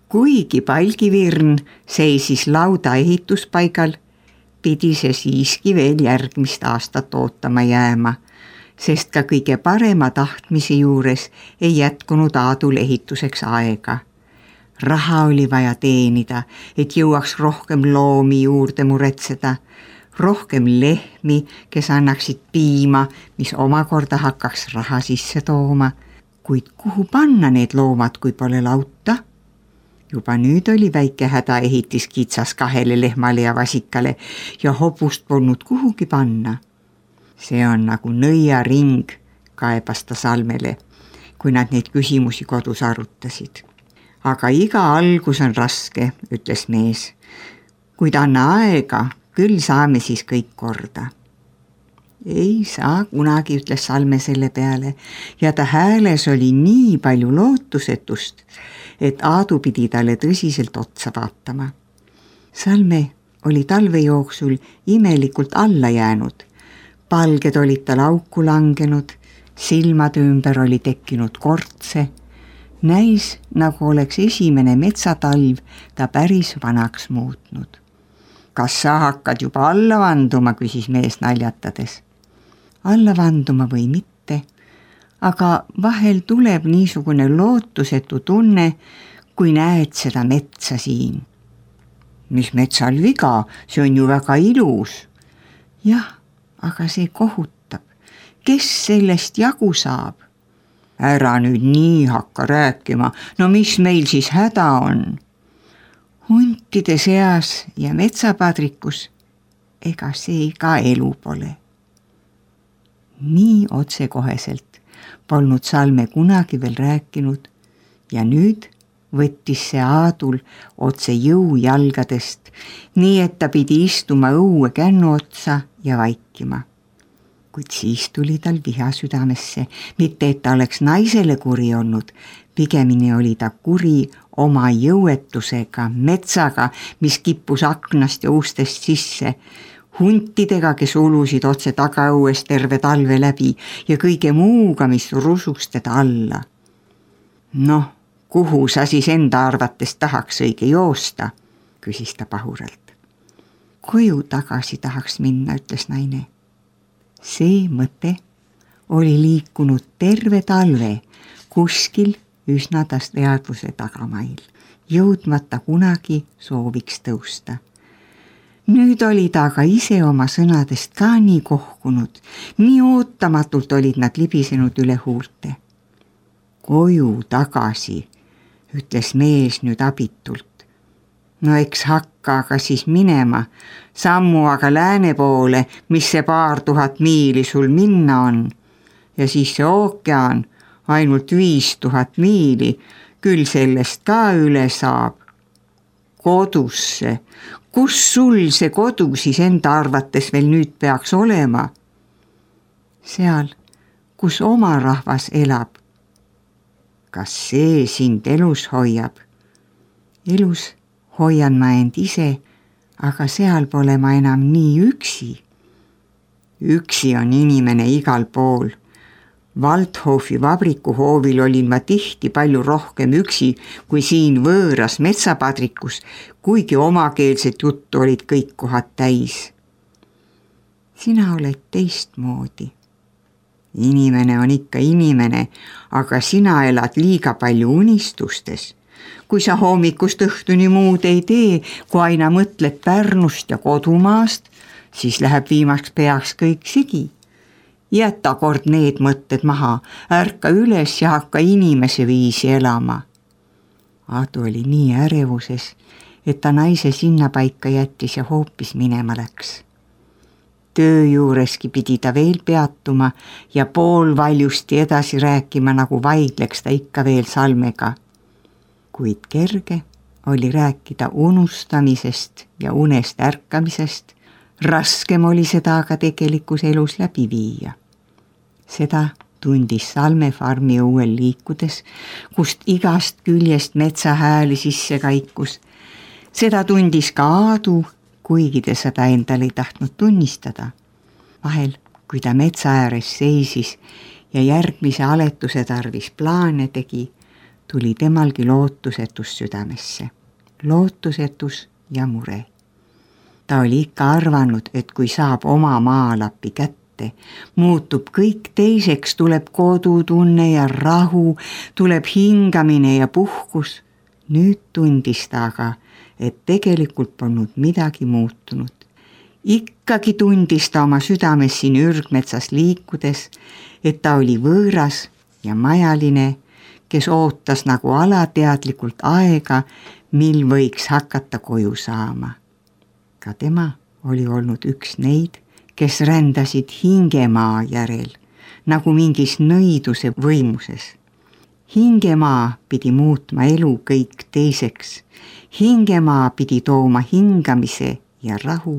Kuigi palgivirn seisis lauda ehituspaigal, pidi see siiski veel järgmist aastat ootama jääma, sest ka kõige parema tahtmise juures ei jätkunud Aadul ehituseks aega. Raha oli vaja teenida, et jõuaks rohkem loomi juurde muretseda, rohkem lehmi, kes annaksid piima, mis omakorda hakkaks raha sisse tooma. Kuid kuhu panna need loomad, kui pole lauta? Juba nüüd oli väike häda ehitis kitsas 2 lehmale ja vasikale ja hobust polnud kuhugi panna. See on nagu nõiaring, kaebas ta Salmele, kui nad neid küsimusi kodus arutasid. Aga iga algus on raske, ütles mees. Kuid anna aega, küll saame siis kõik korda. Ei saa kunagi, ütles Salme selle peale ja ta hääles oli nii palju lootusetust, et Aadu pidi talle tõsiselt otsa vaatama. Salme oli talve jooksul imelikult alla jäänud. Palged olid tal auku langenud, silmade ümber oli tekkinud kortse. Näis, nagu oleks esimene metsatalv ta päris vanaks muutnud. Kas sa hakkad juba alla vanduma, küsis mees naljatades. Alla vanduma või mitte, aga vahel tuleb niisugune lootusetu tunne, kui näed seda metsa siin. Mis metsal viga, see on ju väga ilus. Jah, aga see kohutab. Kes sellest jagu saab? Ära nüüd nii hakka rääkima, no mis meil siis häda on? Huntide seas ja metsapadrikus, ega see ka elu pole. Nii otsekoheselt polnud Salme kunagi veel rääkinud ja nüüd võttis see Aadul otse jõujalgadest, nii et ta pidi istuma õue kännu otsa ja vaikima. Kuid siis tuli tal viha südamesse, mitte et ta oleks naisele kuri olnud, pigemini oli ta kuri oma jõuetusega, metsaga, mis kippus aknast ja ustest sisse, huntidega, kes ulusid otse tagaõues terve talve läbi ja kõige muuga, mis rusus teda alla. Noh, kuhu sa siis enda arvates tahaks õige joosta, küsis ta pahuralt. Koju tagasi tahaks minna, ütles naine. See mõte oli liikunud terve talve kuskil üsna teadvuse tagamail, jõudmata kunagi sooviks tõusta. Nüüd oli ta aga ise oma sõnadest ka nii kohkunud, nii ootamatult olid nad libisenud üle huulte. Koju tagasi, ütles mees nüüd abitult. No eks hakka aga siis minema, sammu aga lääne poole, mis see 2000 miili sul minna on. Ja siis see ookean, ainult 5000 miili, küll sellest ka üle saab. Kodusse, kus sul see kodu siis enda arvates veel nüüd peaks olema? Seal, kus oma rahvas elab. Kas see sind elus hoiab? Elus hoian ma end ise, aga seal pole ma enam nii üksi. Üksi on inimene igal pool. Waldhofi vabrikuhoovil olin ma tihti palju rohkem üksi kui siin võõras metsapadrikus, kuigi omakeelset juttu olid kõik kohad täis. Sina oled teistmoodi. Inimene on ikka inimene, aga sina elad liiga palju unistustes. Kui sa hommikust õhtuni muud ei tee, kui aina mõtled Pärnust ja kodumaast, siis läheb viimaks peaks kõik sigi. Jäta kord need mõtted maha, ärka üles ja hakka inimese viisi elama. Aadu oli nii ärevuses, et ta naise sinna paika jättis ja hoopis minema läks. Töö juureski pidi ta veel peatuma ja poolvaljusti edasi rääkima, nagu vaidleks ta ikka veel Salmega. Kuid kerge oli rääkida unustamisest ja unest ärkamisest, raskem oli seda aga tegelikus elus läbi viia. Seda tundis Salme farmi õuel liikudes, kust igast küljest metsahääli sisse kaikus. Seda tundis ka Aadu, kuigi ta seda endal ei tahtnud tunnistada. Vahel, kui ta metsa ääres seisis ja järgmise aletuse tarvis plaane tegi, tuli temalgi lootusetus südamesse. Lootusetus ja mure. Ta oli ikka arvanud, et kui saab oma maalapi kätte, muutub kõik teiseks, tuleb kodutunne ja rahu, tuleb hingamine ja puhkus. Nüüd tundis ta aga, et tegelikult polnud midagi muutunud. Ikkagi tundis ta oma südames siin ürgmetsas liikudes, et ta oli võõras ja majaline, kes ootas nagu alateadlikult aega, mil võiks hakata koju saama. Ka tema oli olnud üks neid, kes rändasid hingemaa järel, nagu mingis nõiduse võimuses. Hingemaa pidi muutma elu kõik teiseks. Hingemaa pidi tooma hingamise ja rahu.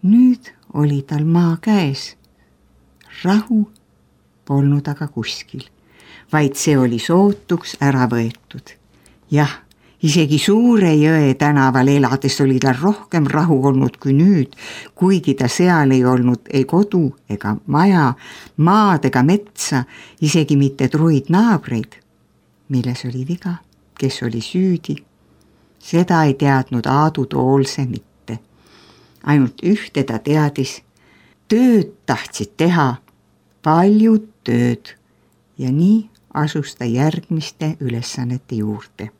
Nüüd oli tal maa käes. Rahu polnud aga kuskil, vaid see oli sootuks ära võetud. Jah, isegi Suure jõe tänaval elades oli tal rohkem rahu olnud kui nüüd, kuigi ta seal ei olnud ei kodu ega maja, maad ega metsa, isegi mitte truid naabreid. Milles oli viga, kes oli süüdi? Seda ei teadnud Aadu Toolse mitte. Ainult ühte ta teadis, tööd tahtsid teha, paljud tööd, ja nii asus ta järgmiste ülesannete juurde.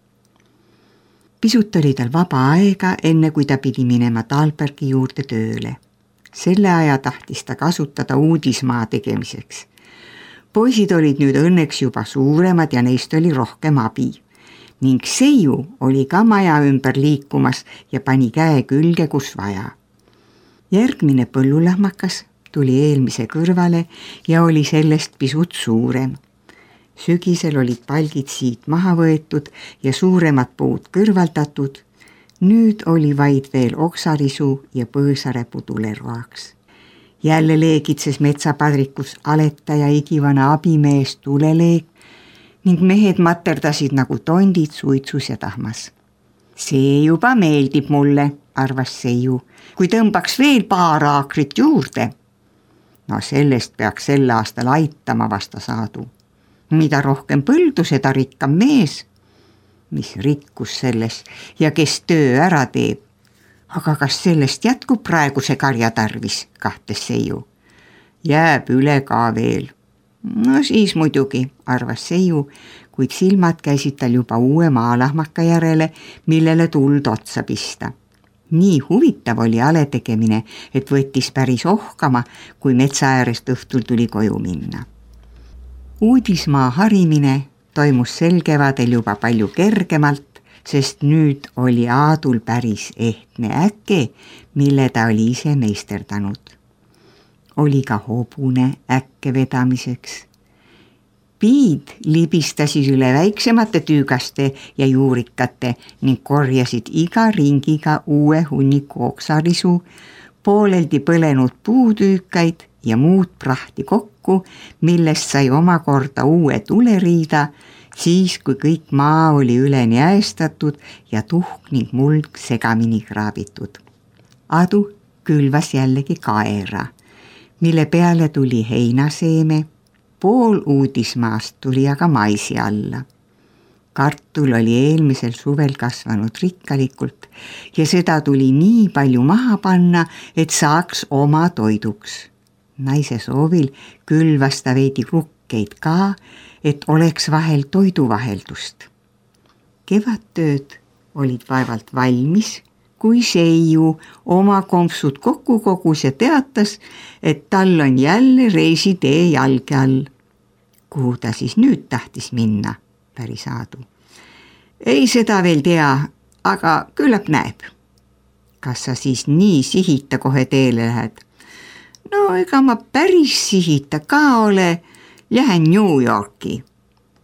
Pisut oli tal vaba aega, enne kui ta pidi minema Talbergi juurde tööle. Selle aja tahtis ta kasutada uudismaa tegemiseks. Poisid olid nüüd õnneks juba suuremad ja neist oli rohkem abi. Ning Seiu oli ka maja ümber liikumas ja pani käe külge, kus vaja. Järgmine põllulahmakas tuli eelmise kõrvale ja oli sellest pisut suurem. Sügisel olid palgid siit maha võetud ja suuremad puud kõrvaldatud. Nüüd oli vaid veel oksarisu ja põõsarepu tuleroaks. Jälle leegitses metsapadrikus Aleta ja igivana abimees tuleleeg ning mehed materdasid nagu tondid suitsus ja tahmas. See juba meeldib mulle, arvas Seiu, kui tõmbaks veel paar aakrit juurde. No sellest peaks sel aastal aitama, vastas Aadu. Mida rohkem põldu, seda rikkam mees. Mis rikkus selles ja kes töö ära teeb? Aga kas sellest jätkub praeguse karja tarvis, kahtes Seiu. Jääb üle ka veel. No siis muidugi, arvas Seiu, kuid silmad käisid tal juba uue maalahmaka järele, millele tuld otsa pista. Nii huvitav oli ale tegemine, et võttis päris ohkama, kui metsa äärest õhtul tuli koju minna. Uudismaa harimine toimus sel kevadel juba palju kergemalt, sest nüüd oli Aadul päris ehtne äke, mille ta oli ise meisterdanud. Oli ka hobune äkke vedamiseks. Piid libistasid üle väiksemate tüügaste ja juurikate ning korjasid iga ringiga uue hunniku oksarisu, pooleldi põlenud puutüükaid ja muud prahti kokku, millest sai omakorda uue tuleriida, siis kui kõik maa oli üleni äestatud ja tuhk ning muld segamini kraabitud. Adu külvas jällegi kaera, mille peale tuli heinaseeme, pool uudismaast tuli aga maisi alla. Kartul oli eelmisel suvel kasvanud rikkalikult ja seda tuli nii palju maha panna, et saaks oma toiduks. Naise soovil külvas ta veidi krukkeid ka, et oleks vahel toiduvaheldust. Kevadtööd olid vaevalt valmis, kui Seiu oma kompsud kokku kogus ja teatas, et tal on jälle reisitee jalge all. Kuhu ta siis nüüd tahtis minna, päris Aadu. Ei seda veel tea, aga küllap näeb. Kas sa siis nii sihita kohe teele lähed? No ega ma päris sihita ka ole, lähen New Yorki.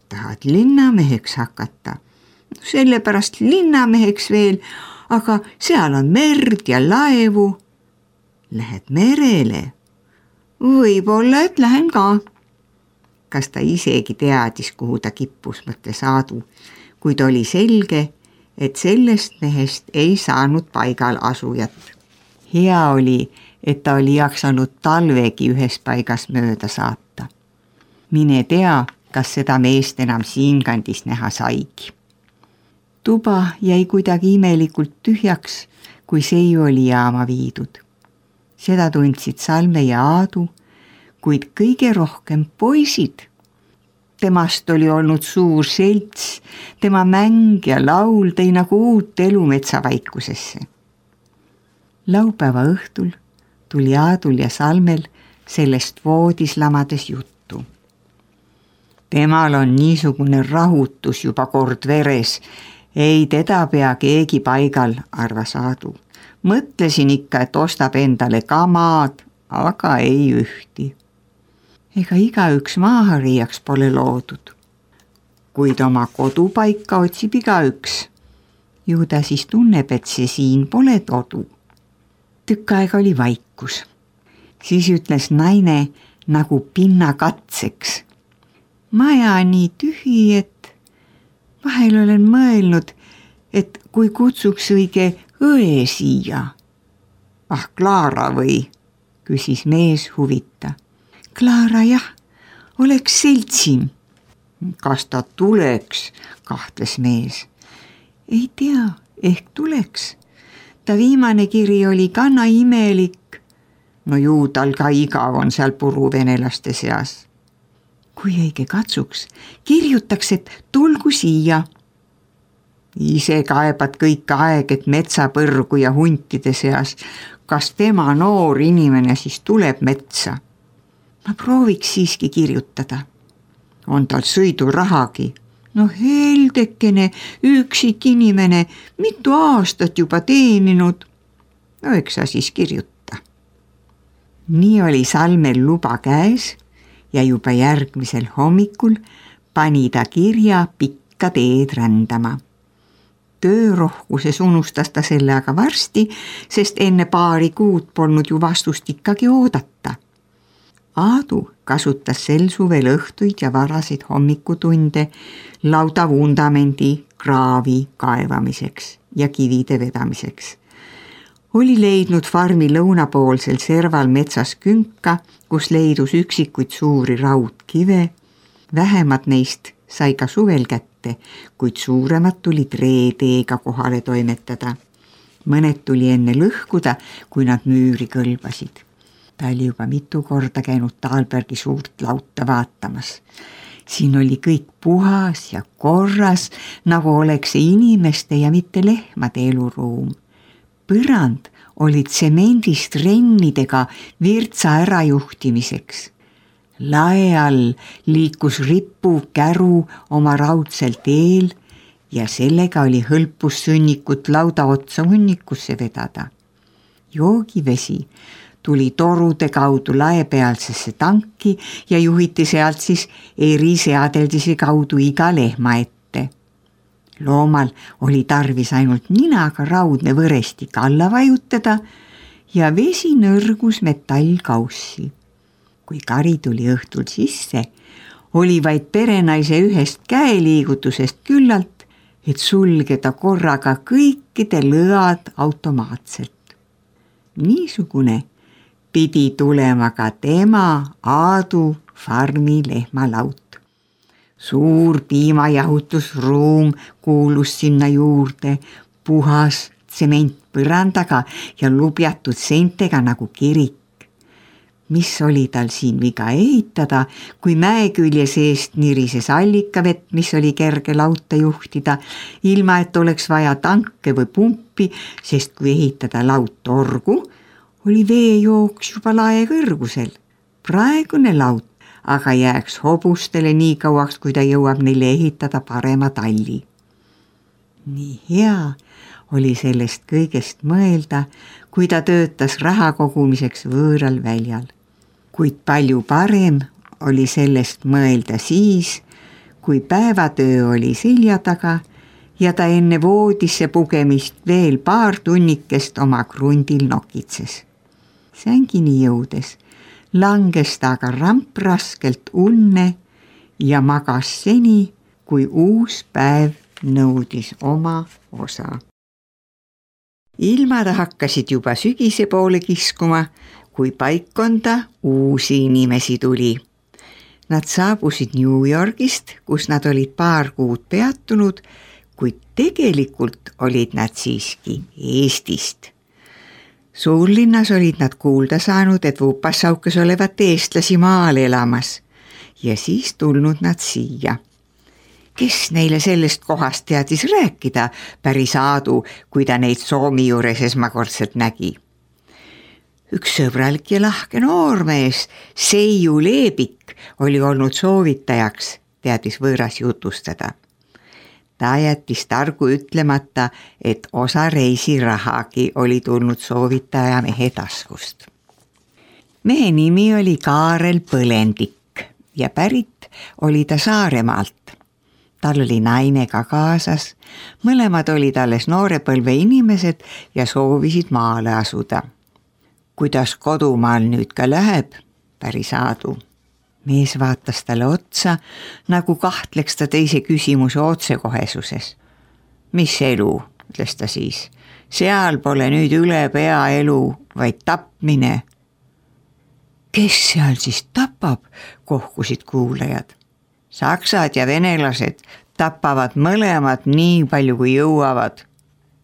Tahad linnameheks hakata? Sellepärast linnameheks veel, aga seal on merd ja laevu. Lähed merele? Võib-olla, et lähen ka. Kas ta isegi teadis, kuhu ta kippus, mõtles Aadu, kuid oli selge, et sellest mehest ei saanud paigal asujat. Hea oli, et ta oli jaksanud talvegi ühes paigas mööda saata. Mine tea, kas seda meest enam siinkandis näha saigi. Tuba jäi kuidagi imelikult tühjaks, kui seiu oli jaama viidud. Seda tundsid Salme ja Aadu, kuid kõige rohkem poisid. Temast oli olnud suur selts, tema mäng ja laul tõi nagu uut elu metsavaikusesse. Laupäeva õhtul tuli Aadul ja Salmel sellest voodis lamades juttu. Temal on niisugune rahutus juba kord veres, ei teda pea keegi paigal, arvas Aadu. Mõtlesin ikka, et ostab endale kamad, aga ei ühti. Ega igaüks maahariiaks pole loodud. Kuid oma kodupaika otsib igaüks. Ju ta siis tunneb, et see siin pole todu. Tükk aega oli vaikus. Siis ütles naine nagu pinna katseks. Maja nii tühi, et vahel olen mõelnud, et kui kutsuks õige õe siia. Ah, Klaara või? Küsis mees huvita. Klaara jah, oleks seltsim. Kas ta tuleks, kahtles mees. Ei tea, ehk tuleks. Ta viimane kiri oli kana imelik. No ju tal ka igav on seal puruvenelaste seas. Kui õige katsuks, kirjutaks, et tulgu siia. Ise kaebad kõik aeg, et metsapõrgu ja huntide seas. Kas tema noor inimene siis tuleb metsa? Ma prooviks siiski kirjutada. On tal sõidurahagi? No heldekene, üksik inimene, mitu aastat juba teeninud. No eks sa siis kirjuta. Nii oli Salmel luba käes ja juba järgmisel hommikul pani ta kirja pikka teed rändama. Töörohkuses unustas ta selle aga varsti, sest enne paari kuud polnud ju vastust ikkagi oodata. Aadu kasutas sel suvel õhtuid ja varaseid hommikutunde lauda vundamendi kraavi kaevamiseks ja kivide vedamiseks. Oli leidnud farmi lõunapoolsel serval metsas künka, kus leidus üksikuid suuri raudkive. Vähemad neist sai ka suvel kätte, kuid suuremad tulid reedeega kohale toimetada. Mõned tuli enne lõhkuda, kui nad müüri kõlbasid. Ta oli juba mitu korda käinud Taalbergi suurt lauta vaatamas. Siin oli kõik puhas ja korras, nagu oleks see inimeste ja mitte lehmade eluruum. Põrand oli tsemendist rennidega virtsa ärajuhtimiseks. Lae all liikus ripu käru oma raudsel teel ja sellega oli hõlpus sõnnikut lauda otsa hunnikusse vedada. Joogivesi tuli torude kaudu laepealsesse tanki ja juhiti sealt siis eriseadeldise kaudu iga lehma ette. Loomal oli tarvis ainult ninaga raudne võrestik alla vajutada ja vesi nõrgus metallkaussi. Kui kari tuli õhtul sisse, oli vaid perenaise ühest käeliigutusest küllalt, et sulgeda korraga kõikide lõad automaatselt. Niisugune pidi tulema ka tema Aadu farmi lehmalaut. Suur piimajahutusruum kuulus sinna juurde, puhas tsement põrandaga ja lubjatud seintega nagu kirik. Mis oli tal siin viga ehitada, kui mäekülje seest nirises allikavett, mis oli kerge lauta juhtida, ilma et oleks vaja tanke või pumpi, sest kui ehitada laut torgu, oli veejooks juba lae kõrgusel. Praegune laut aga jääks hobustele nii kauaks, kui ta jõuab neile ehitada parema talli. Nii hea oli sellest kõigest mõelda, kui ta töötas raha kogumiseks võõral väljal. Kuid palju parem oli sellest mõelda siis, kui päevatöö oli selja taga ja ta enne voodisse pugemist veel paar tunnikest oma krundil nokitses. Sängini jõudes langes ta aga rampraskelt unne ja magas seni, kui uus päev nõudis oma osa. Ilmad hakkasid juba sügise poole kiskuma, kui paikkonda uusi inimesi tuli. Nad saabusid New Yorgist, kus nad olid paar kuud peatunud, kuid tegelikult olid nad siiski Eestist. Suurlinnas olid nad kuulda saanud, et Vupasaukes olevat eestlasi maal elamas ja siis tulnud nad siia. Kes neile sellest kohast teadis rääkida, päris Aadu, kui ta neid Soomi juures esmakordselt nägi. Üks sõbralik ja lahke noormees, Seiu Leebik, oli olnud soovitajaks, teadis võõras jutustada. Ta jättis targu ütlemata, et osa reisirahagi oli tulnud soovitaja mehe taskust. Mehe nimi oli Kaarel Põlendik ja pärit oli ta Saaremaalt. Tal oli naine ka kaasas, mõlemad olid alles noorepõlve inimesed ja soovisid maale asuda. Kuidas kodumaal nüüd ka läheb, päris Aadu. Mees vaatas talle otsa, nagu kahtleks ta teise küsimuse otsekohesuses. Mis elu, ütles ta siis. Seal pole nüüd üle pea elu, vaid tapmine. Kes seal siis tapab, kohkusid kuulajad. Saksad ja venelased tapavad mõlemad nii palju kui jõuavad.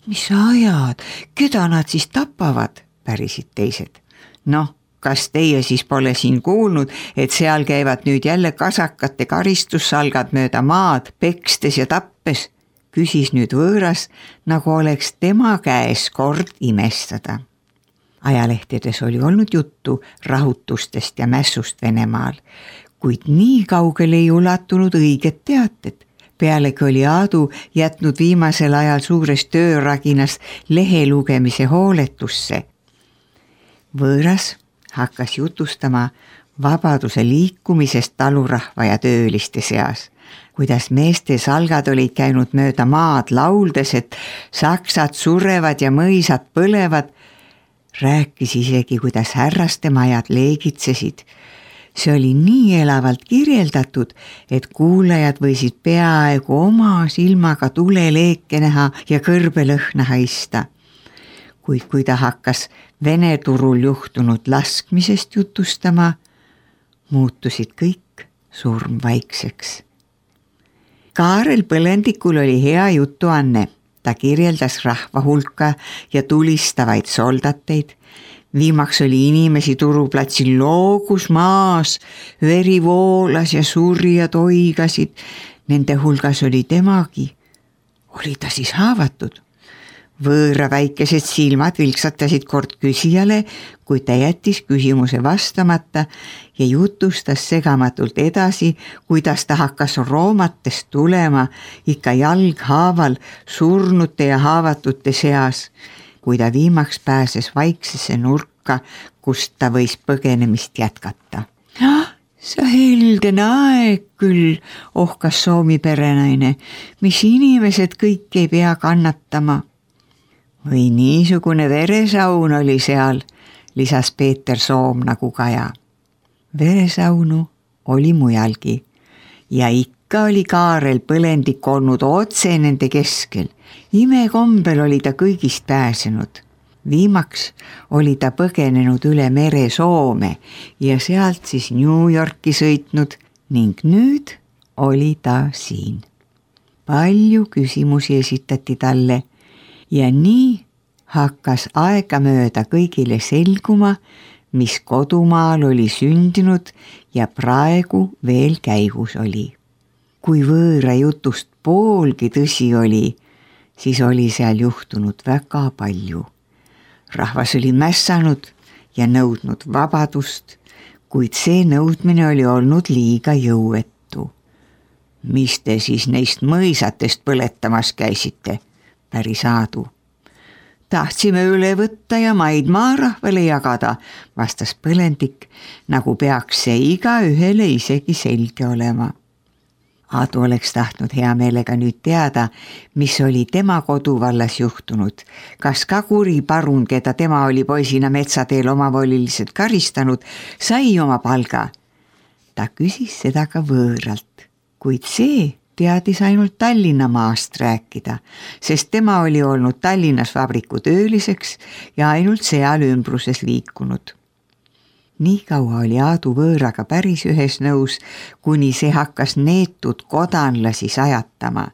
Mis ajad, keda nad siis tapavad, pärisid teised. Noh, kas teie siis pole siin kuulnud, et seal käivad nüüd jälle kasakate karistussalgad mööda maad, pekstes ja tappes, küsis nüüd võõras, nagu oleks tema käes kord imestada. Ajalehtedes oli olnud juttu rahutustest ja mässust Venemaal, kuid nii kaugele ei ulatunud õiget teated. Pealegi oli Aadu jätnud viimasel ajal suures tööraginas lehe lugemise hooletusse. Võõras hakkas jutustama vabaduse liikumisest talurahva ja tööliste seas, kuidas meeste salgad olid käinud mööda maad lauldes, et saksad surevad ja mõisad põlevad, rääkis isegi, kuidas härraste majad leegitsesid. See oli nii elavalt kirjeldatud, et kuulajad võisid peaaegu oma silmaga tuleleeke näha ja kõrbelõhna haista. Kuid kui ta hakkas Vene turul juhtunud laskmisest jutustama, muutusid kõik surmvaikseks. Kaarel Põlendikul oli hea jutuanne. Ta kirjeldas rahva hulka ja tulistavaid soldateid. Viimaks oli inimesi turuplatsil loogus maas, veri voolas ja surjad oigasid. Nende hulgas oli temagi. Oli ta siis haavatud? Võõra väikesed silmad vilksatasid kord küsijale, kui ta jättis küsimuse vastamata ja jutustas segamatult edasi, kuidas ta hakkas roomatest tulema ikka jalghaaval surnute ja haavatute seas, kui ta viimaks pääses vaiksesse nurka, kust ta võis põgenemist jätkata. Sa heldene aeg küll, ohkas Soomi perenaine, mis inimesed kõik ei pea kannatama. Või niisugune veresaun oli seal, lisas Peeter Soom nagu Kaja. Veresaunu oli mujalgi ja ikka oli Kaarel Põlendik olnud otse nende keskel. Imekombel oli ta kõigist pääsenud. Viimaks oli ta põgenenud üle mere Soome ja sealt siis New Yorki sõitnud ning nüüd oli ta siin. Palju küsimusi esitati talle ja nii hakkas aegamööda kõigile selguma, mis kodumaal oli sündinud ja praegu veel käigus oli. Kui võõra jutust poolgi tõsi oli, siis oli seal juhtunud väga palju. Rahvas oli mässanud ja nõudnud vabadust, kuid see nõudmine oli olnud liiga jõuetu. Mis te siis neist mõisatest põletamas käisite, päris Aadu? Tahtsime üle võtta ja maid maarahvale jagada, vastas Põlendik, nagu peaks see iga ühele isegi selge olema. Aadu oleks tahtnud hea meelega nüüd teada, mis oli tema koduvallas juhtunud. Kas ka kuri parun, keda tema oli poisina metsateel omavoliliselt karistanud, sai oma palga? Ta küsis seda ka võõralt, kuid see teadis ainult Tallinna maast rääkida, sest tema oli olnud Tallinnas vabriku tööliseks ja ainult seal ümbruses liikunud. Nii kaua oli Aadu võõraga päris ühes nõus, kuni see hakkas neetud kodanlasi sajatama.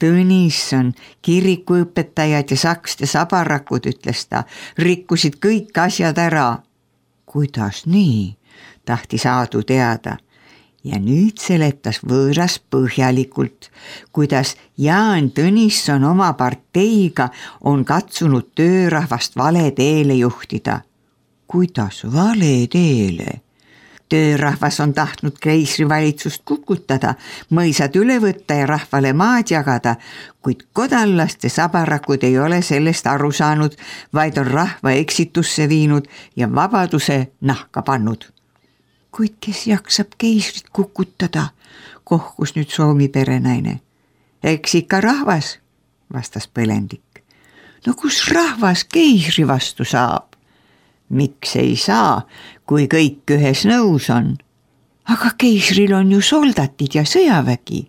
Tõnisson, kirikuõpetajad ja sakste sabarakud, ütles ta, rikkusid kõik asjad ära. Kuidas nii? Tahtis Aadu teada. Ja nüüd seletas võõras põhjalikult, kuidas Jaan Tõnisson oma parteiga on katsunud töörahvast vale teele juhtida. Kuidas vale teele? Töörahvas on tahtnud keisrivalitsust kukutada, mõisad üle võtta ja rahvale maad jagada, kuid kodanlaste sabarakud ei ole sellest aru saanud, vaid on rahva eksitusse viinud ja vabaduse nahka pannud. Kuid kes jaksab keisrit kukutada, kohkus nüüd Soomi perenaine. Eks ikka rahvas, vastas Põlendik. No kus rahvas keisri vastu saab? Miks ei saa, kui kõik ühes nõus on? Aga keisril on ju soldatid ja sõjavägi.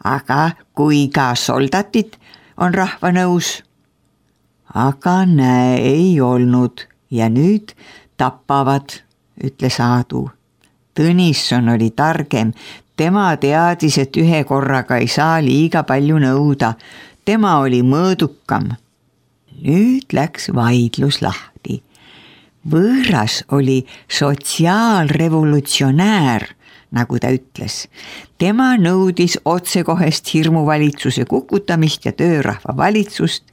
Aga kui ka soldatid on rahva nõus? Aga näe, ei olnud ja nüüd tapavad, ütles Aadu. Tõnisson oli targem, tema teadis, et ühe korraga ei saa liiga palju nõuda. Tema oli mõõdukam. Nüüd läks vaidlus lahti. Võõras oli sotsiaalrevolutsionäär, nagu ta ütles. Tema nõudis otsekohest hirmuvalitsuse kukutamist ja töörahva valitsust.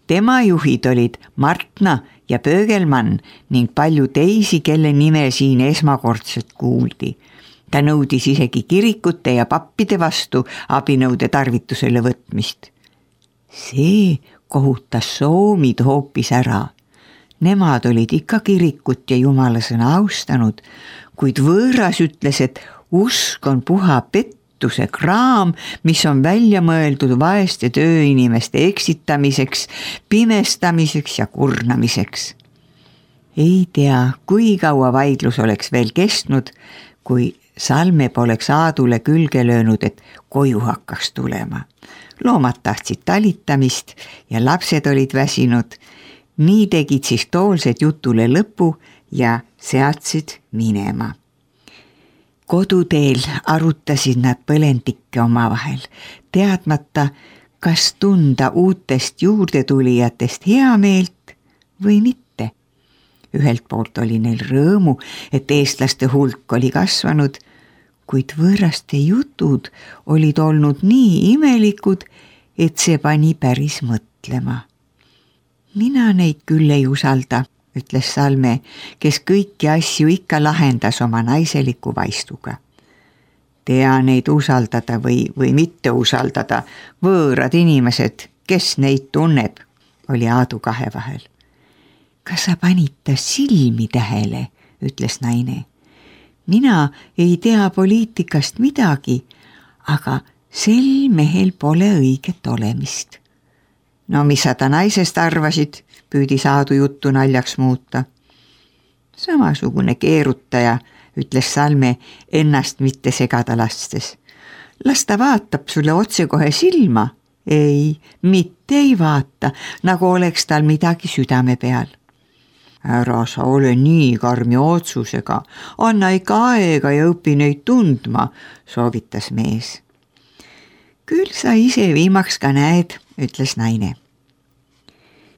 Tema juhid olid Martna ja Pöögelmann ning palju teisi, kelle nime siin esmakordselt kuuldi. Ta nõudis isegi kirikute ja pappide vastu abinõude tarvitusele võtmist. See kohutas soomid hoopis ära. Nemad olid ikka kirikut ja jumalasõna austanud, kuid võõras ütles, et usk on puha pettuse kraam, mis on välja mõeldud vaeste tööinimeste eksitamiseks, pimestamiseks ja kurnamiseks. Ei tea, kui kaua vaidlus oleks veel kestnud, kui Salme poleks Aadule külge löönud, et koju hakkaks tulema. Loomad tahtsid talitamist ja lapsed olid väsinud. Nii tegid siis toolsed jutule lõpu ja seadsid minema. Koduteel arutasid nad Põlendikke omavahel, teadmata, kas tunda uutest juurdetulijatest heameelt või mitte. Ühelt poolt oli neil rõõmu, et eestlaste hulk oli kasvanud, kuid võõraste jutud olid olnud nii imelikud, et see pani päris mõtlema. Mina neid küll ei usalda, ütles Salme, kes kõiki asju ikka lahendas oma naiseliku vaistuga. Tea neid usaldada või mitte usaldada, võõrad inimesed, kes neid tunneb, oli Aadu kahe vahel. Kas sa panid ta silmi tähele, ütles naine. Mina ei tea poliitikast midagi, aga sel mehel pole õiget olemist. No mis sa ta naisest arvasid, püüdis Aadu juttu naljaks muuta. Samasugune keerutaja, ütles Salme ennast mitte segada lastes. Las ta vaatab sulle otsekohe silma. Ei, mitte ei vaata, nagu oleks tal midagi südame peal. Ära sa ole nii karmi otsusega, anna ikka aega ja õpi neid tundma, soovitas mees. Küll sa ise viimaks ka näed, ütles naine.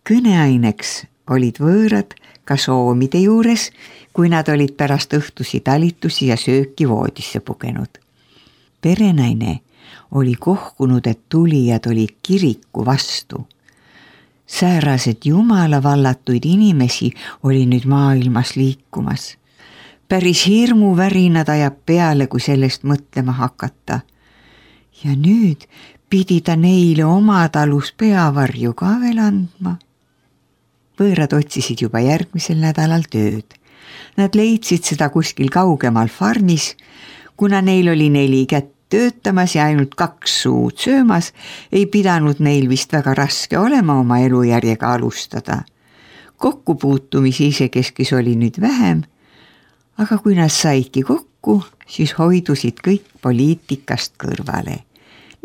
Kõneaineks olid võõrad ka soomide juures, kui nad olid pärast õhtusi talitusi ja sööki voodisse pugenud. Perenaine oli kohkunud, et tulijad olid kiriku vastu. Säärased jumala vallatuid inimesi oli nüüd maailmas liikumas. Päris hirmuvärinad ajab peale, kui sellest mõtlema hakata. Ja nüüd pidi ta neile oma talus peavarju ka veel andma. Võõrad otsisid juba järgmisel nädalal tööd. Nad leidsid seda kuskil kaugemal farmis, kuna neil oli 4 kätt töötamas ja ainult 2 suud söömas, ei pidanud neil vist väga raske olema oma elujärjega alustada. Kokkupuutumisi isekeskis oli nüüd vähem, aga kui nad saidki kokku, siis hoidusid kõik poliitikast kõrvale.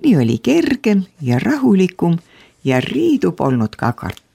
Nii oli kergem ja rahulikum ja riidu polnud ka karta.